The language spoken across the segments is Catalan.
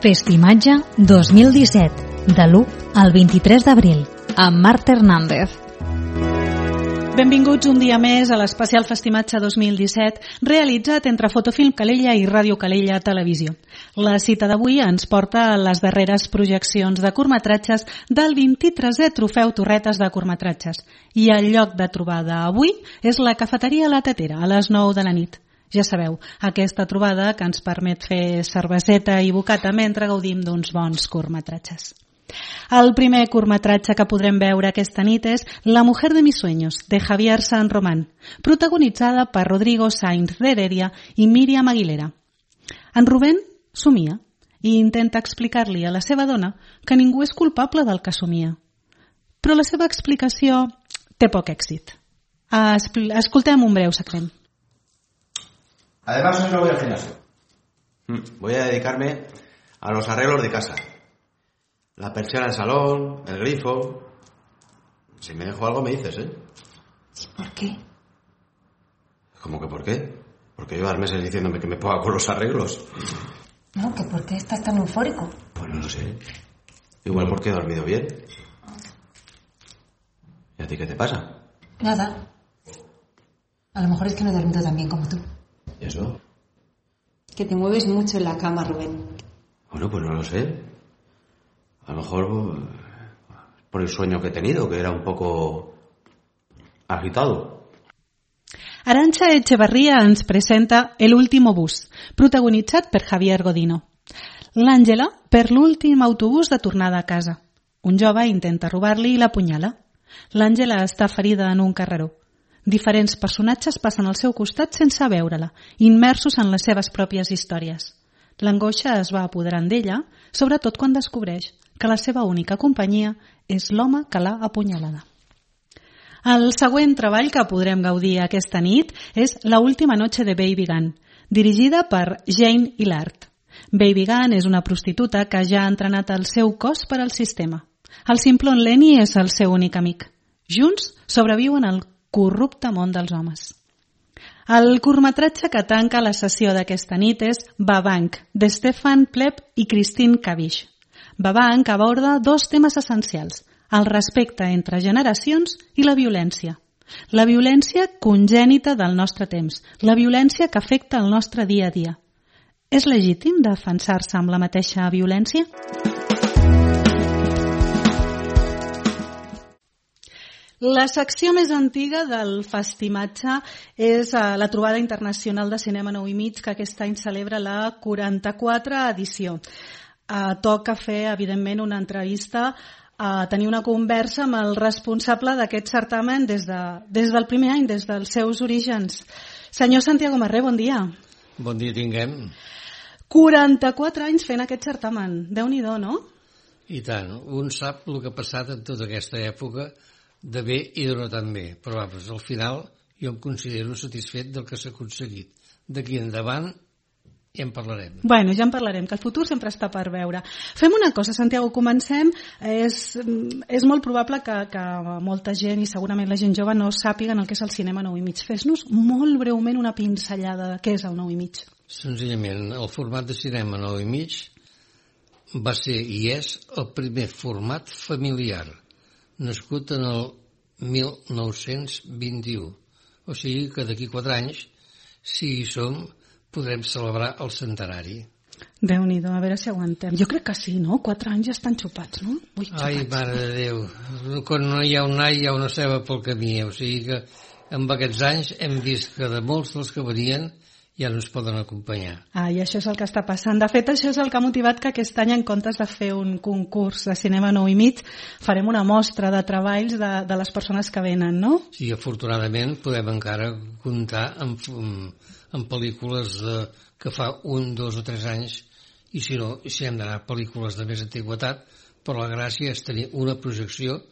Festimatge 2017, de l'1 al 23 d'abril, amb Marta Hernández. Benvinguts un dia més a l'especial Festimatge 2017 realitzat entre Fotofilm Calella i Ràdio Calella Televisió. La cita d'avui ens porta a les darreres projeccions de curtmetratges del 23è Trofeu Torretes de Curtmetratges i el lloc de trobada avui és la cafeteria La Tetera a les 9 de la nit. Ja sabeu, aquesta trobada que ens permet fer cerveseta i bocata mentre gaudim d'uns bons curtmetratges. El primer curtmetratge que podrem veure aquesta nit és La mujer de mis sueños, de Javier San Román, protagonitzada per Rodrigo Sainz de Heredia i Míriam Aguilera. En Rubén somia i intenta explicar-li a la seva dona que ningú és culpable del que somia. Però la seva explicació té poc èxit. Escoltem un breu segment. Además, hoy no voy al gimnasio. Voy a dedicarme a los arreglos de casa. La persiana del salón, el grifo. Si me dejo algo me dices, ¿eh? ¿Por qué? ¿Cómo que por qué? Porque llevas meses diciéndome que me ponga con los arreglos. No, que ¿por qué estás tan eufórico? Pues no lo sé. Igual porque he dormido bien. ¿Y a ti qué te pasa? Nada. A lo mejor es que no he dormido tan bien como tú. ¿Y eso? Que te mueves mucho en la cama, Rubén. Bueno, pues no lo sé. A lo mejor por el sueño que he tenido, que era un poco agitado. Arantxa Echevarría ens presenta El último bus, protagonitzat per Javier Godino. L'Àngela per l'últim autobús de tornada a casa. Un jove intenta robar-li i l'apunyala. L'Àngela està ferida en un carreró. Diferents personatges passen al seu costat sense veure-la, immersos en les seves pròpies històries. L'angoixa es va apoderant d'ella, sobretot quan descobreix que la seva única companyia és l'home que l'ha apunyalada. El següent treball que podrem gaudir aquesta nit és La última noche de Baby Gunn, dirigida per Jane Hillard. Baby Gunn és una prostituta que ja ha entrenat el seu cos per al sistema. El Simplon Lenny és el seu únic amic. Junts sobreviuen al corrupte món dels homes. El curtmetratge que tanca la sessió d'aquesta nit és Babank, de Stefan Pleb i Christine Kavish. Babank aborda dos temes essencials, el respecte entre generacions i la violència. La violència congènita del nostre temps, la violència que afecta el nostre dia a dia. És legítim defensar-se amb la mateixa violència? La secció més antiga del Festimatge és la trobada internacional de cinema 9,5 que aquest any celebra la 44 edició. Toca fer, evidentment, una entrevista, tenir una conversa amb el responsable d'aquest certamen des del primer any, des dels seus orígens. Senyor Santiago Marré, bon dia. Bon dia tinguem. 44 anys fent aquest certamen. Déu-n'hi-do, no? I tant. Un sap el que ha passat en tota aquesta època de bé i de no tan bé, però al final jo em considero satisfet del que s'ha aconseguit. D'aquí endavant ja en parlarem. Bueno, ja en parlarem, que el futur sempre està per veure. Fem una cosa, Santiago, comencem. És molt probable que molta gent, i segurament la gent jove, no sàpiguen el que és el cinema 9,5. Fes-nos molt breument una pinzellada de què és el 9,5. Senzillament, el format de cinema 9,5 va ser i és el primer format familiar, nascut en el 1921. O sigui que d'aquí 4 anys, si hi som, podrem celebrar el centenari. Déu-n'hi-do, a veure si aguantem. Jo crec que sí, no? 4 anys ja estan xupats, no? Ui, xupats. Ai, mare de Déu, quan no hi ha un all hi ha una ceba pel camí. O sigui que amb aquests anys hem vist que de molts dels que venien ja no ens poden acompanyar. I això és el que està passant. De fet, això és el que ha motivat que aquest any, en comptes de fer un concurs de cinema 9,5, farem una mostra de treballs de les persones que venen, no? Sí, afortunadament podem encara comptar amb pel·lícules que fa 1, 2 o 3 anys, i si no, si hem d'anar a pel·lícules de més antiguitat, però la gràcia és tenir una projecció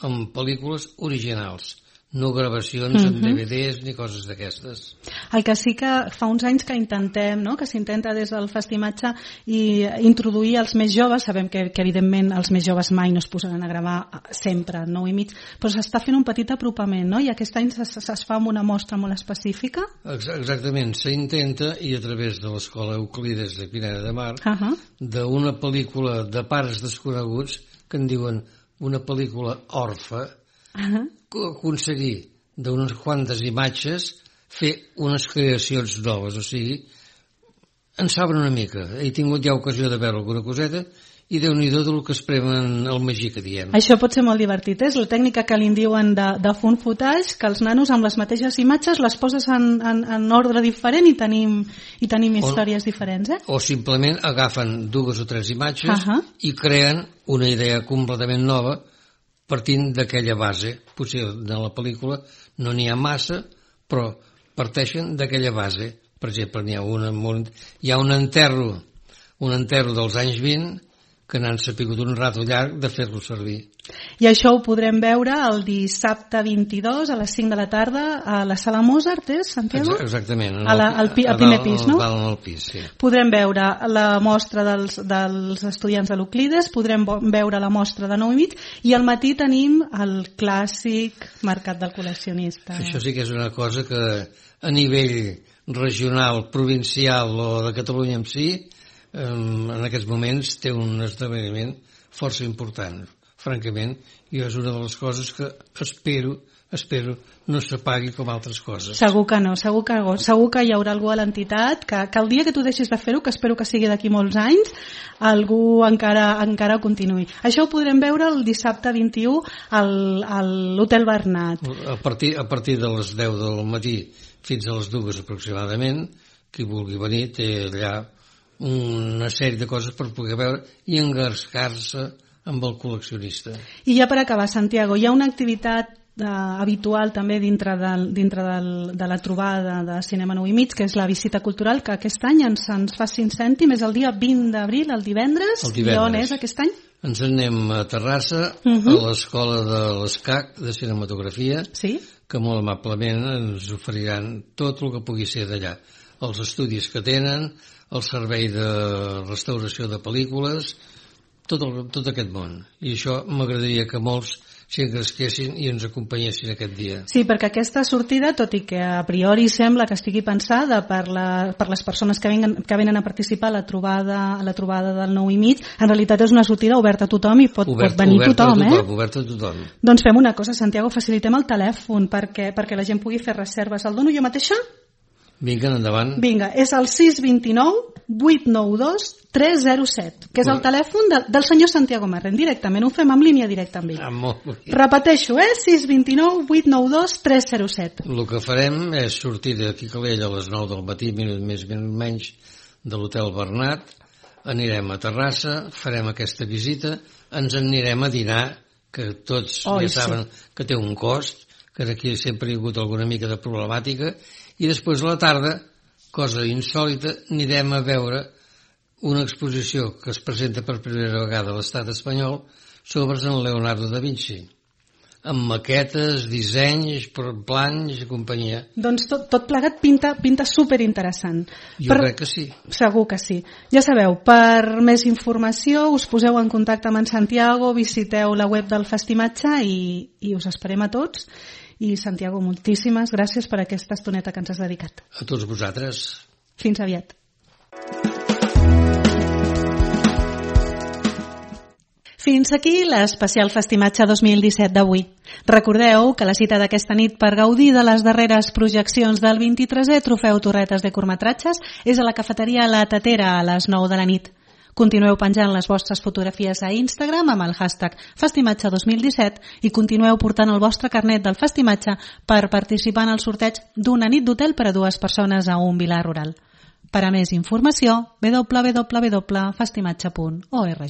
amb pel·lícules originals, no gravacions en DVDs ni coses d'aquestes. El que sí que fa uns anys que intentem, no? Que s'intenta des del Festimatge i introduir els més joves, sabem que evidentment els més joves mai no es posaran a gravar sempre, 9:30, però s'està fent un petit apropament, no? I aquest any es fa amb una mostra molt específica. Exactament, s'intenta, i a través de l'Escola Euclides de Pineda de Mar, d'una pel·lícula de pares desconeguts, que en diuen una pel·lícula orfa, aconseguir d'unes quantes imatges fer unes creacions noves, o sigui, en saben una mica. He tingut ja ocasió de veure alguna coseta i Déu-n'hi-do del que es premen el magí que diem. Això pot ser molt divertit, és la tècnica que li diuen de font footage, que els nanos amb les mateixes imatges les poses en ordre diferent i tenim històries diferents. O simplement agafen 2 o 3 imatges i creen una idea completament nova partint d'aquella base. Potser de la pel·lícula no n'hi ha massa, però parteixen d'aquella base. Per exemple, hi ha un enterro dels anys 20 que n'han sapigut un rato llarg de fer-lo servir. I això ho podrem veure el dissabte 22 a les 5 de la tarda a la Sala Mozart, Santiago? Exactament. Al primer pis, no? Al pis, sí. Podrem veure la mostra dels estudiants de l'Euclides, podrem veure la mostra de 9:30 i al matí tenim el clàssic Mercat del Col·leccionista. Això sí que és una cosa que a nivell regional, provincial o de Catalunya en si, en aquests moments té un esdeveniment força important. Francament, jo és una de les coses que espero no s'apagui com altres coses. Segur que no, segur que hi haurà algú a l'entitat que el dia que tu deixis de fer-ho, que espero que sigui d'aquí molts anys, algú encara continuï. Això ho podrem veure el dissabte 21 a l'Hotel Bernat. A partir de les 10 del matí fins a les 2 aproximadament, qui vulgui venir té allà una sèrie de coses per poder veure i engarscar-se amb el col·leccionista. I ja per acabar, Santiago, hi ha una activitat habitual també dintre de la trobada de Cinema 9:30, que és la visita cultural, que aquest any ens fa 5 cèntims, és el dia 20 d'abril, el divendres. I on és aquest any? Ens anem a Terrassa, a l'Escola de l'ESCAC de Cinematografia, que molt amablement ens oferiran tot el que pugui ser d'allà. Els estudis que tenen, el servei de restauració de pel·lícules, tot aquest món. I això m'agradaria que molts s'hi engresquessin i ens acompanyessin aquest dia. Sí, perquè aquesta sortida, tot i que a priori sembla que estigui pensada per les persones que venen a participar a la trobada del 9:30, en realitat és una sortida oberta a tothom i pot venir tothom. Oberta a tothom. Doncs fem una cosa, Santiago, facilitem el telèfon perquè la gent pugui fer reserves. El dono jo mateixa? Vinga, endavant. Vinga, és el 629-892-307, que és el telèfon del senyor Santiago Marren. Directament, ho fem en línia directa amb ell. Repeteixo, 629-892-307. El que farem és sortir d'aquí Calella a les 9 del matí, minut més, minut menys, de l'Hotel Bernat, anirem a Terrassa, farem aquesta visita, ens anirem a dinar, que tots ja saben que té un cost, que aquí sempre hi ha hagut alguna mica de problemàtica, i després a la tarda, cosa insòlita, anirem a veure una exposició que es presenta per primera vegada a l'estat espanyol sobre en Leonardo da Vinci, amb maquetes, dissenys, plans i companyia. Doncs tot plegat pinta superinteressant. Jo crec que sí. Segur que sí. Ja sabeu, per més informació us poseu en contacte amb en Santiago, visiteu la web del Festimatge i us esperem a tots. I Santiago, moltíssimes gràcies per aquesta estoneta que ens has dedicat. A tots vosaltres. Fins aviat. Fins aquí l'especial Festimatge 2017 d'avui. Recordeu que la cita d'aquesta nit per gaudir de les darreres projeccions del 23è Trofeu Torretes de curtmetratges és a la cafeteria La Tatera a les 9 de la nit. Continueu penjant les vostres fotografies a Instagram amb el hashtag Festimatge 2017 i continueu portant el vostre carnet del Festimatge per participar en el sorteig d'una nit d'hotel per a 2 persones a un vilar rural. Per a més informació, www.festimatge.org.